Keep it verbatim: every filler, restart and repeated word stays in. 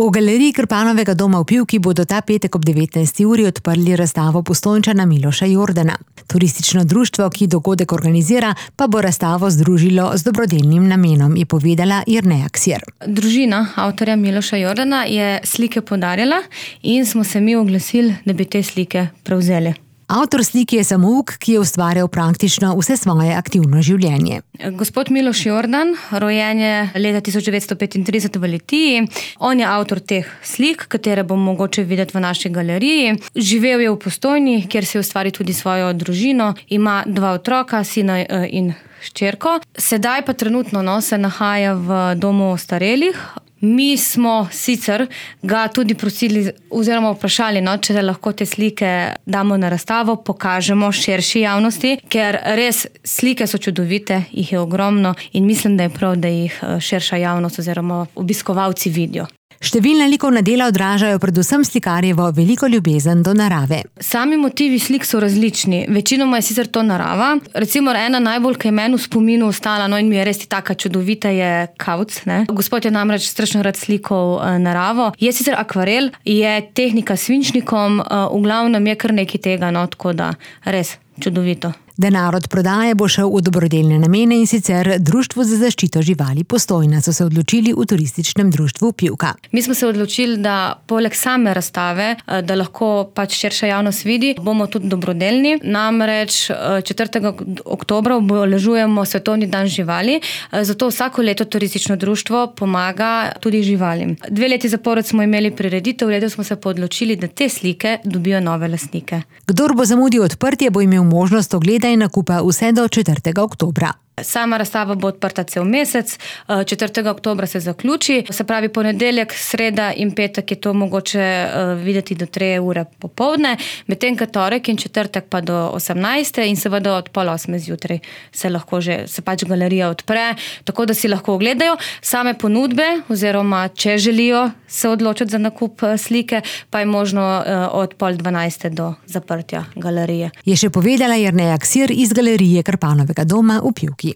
V galeriji Krpanovega doma v Pivki bodo ta petek ob devetnajsti uri odprli razstavo Postojnčana Miloša Jordana. Turistično društvo, ki dogodek organizira, pa bo razstavo združilo z dobrodelnim namenom, je povedala Jerneja Ksir. Družina avtorja Miloša Jordana je slike podarila in smo se mi oglasili, da bi te slike prevzeli. Avtor slike je samouk, ki je ustvarjal praktično vse svoje aktivno življenje. Gospod Miloš Jordan, rojen je leta tisoč devetsto petintrideset v Litiji. On je avtor teh slik, katere bo mogoče videti v naši galeriji. Živel je v Postojni, kjer si je ustvaril tudi svojo družino. Ima dva otroka, sina in hčerko. Sedaj pa trenutno no, se nahaja v domu ostarelih. Mi smo sicer ga tudi prosili oziroma vprašali, no, če lahko te slike damo na razstavo, pokažemo širši javnosti, ker res slike so čudovite, jih je ogromno in mislim, da je prav, da jih širša javnost oziroma obiskovalci vidijo. Številna likovna dela odražajo predvsem slikarjevo veliko ljubezen do narave. Sami motivi slik so različni. Večinoma je sicer to narava. Recimo ena najbolj, ki je meni v spominu ostala, no in mi je res taka čudovita, je kavc. Ne? Gospod je namreč strašno rad slikal naravo. Je sicer akvarel, je tehnika s svinčnikom, v glavnem je kar nekaj tega, no, tako da res čudovito. Denar od prodaje bo šel v dobrodelne namene in sicer Društvu za zaščito živali Postojna, so se odločili v turističnem društvu Pivka. Mi smo se odločili, da poleg same razstave, da lahko pač širša javnost vidi, bomo tudi dobrodelni. Namreč četrtega oktobra obeležujemo Svetovni dan živali, zato vsako leto turistično društvo pomaga tudi živalim. Dve leti zapored smo imeli prireditev, letos smo se pa odločili, da te slike dobijo nove lastnike. Kdor bo zamudil odprtje, bo imel možnost ogleda in nakupa vse do četrtega oktobra. Sama razstava bo odprta cel mesec, četrtega oktobra se zaključi, se pravi ponedeljek, sreda in petek je to mogoče videti do tri ure popoldne, medtem ko torek in četrtek pa do osemnajste in seveda od pol osme zjutraj se lahko že, se pač galerija odpre, tako da si lahko ogledajo same ponudbe oziroma če želijo se odločiti za nakup slike, pa je možno od pol dvanajste do zaprtja galerije. Je še povedala Jerneja Ksir iz galerije Krpanovega doma v Pivki.